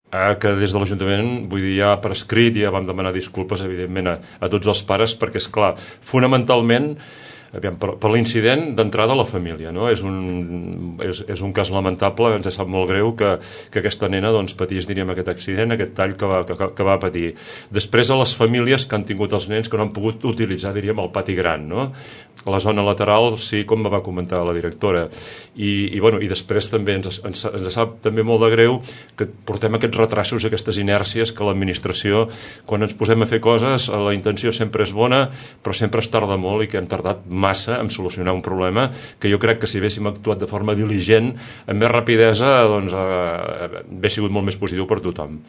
Que des de l'Ajuntament, vull dir, ja per escrit, ja vam demanar disculpes, evidentment, a tots els pares, perquè, és clar, fonamentalment, aviam, per l'incident d'entrada a la família, no? És un cas lamentable, ens sap molt greu que aquesta nena doncs, patís, diríem, aquest accident, aquest tall que va patir. Després, a les famílies que han tingut els nens que no han pogut utilitzar, diríem, el pati gran, no? La zona lateral, sí, com va comentar la directora. I després també ens sap també molt de greu que portem aquests retrasos, aquestes inèrcies que l'administració, quan ens posem a fer coses, la intenció sempre és bona, però sempre es tarda molt i que hem tardat massa en solucionar un problema que jo crec que si haguéssim actuat de forma diligent, amb més rapidesa, doncs hauria sigut molt més positiu per tothom.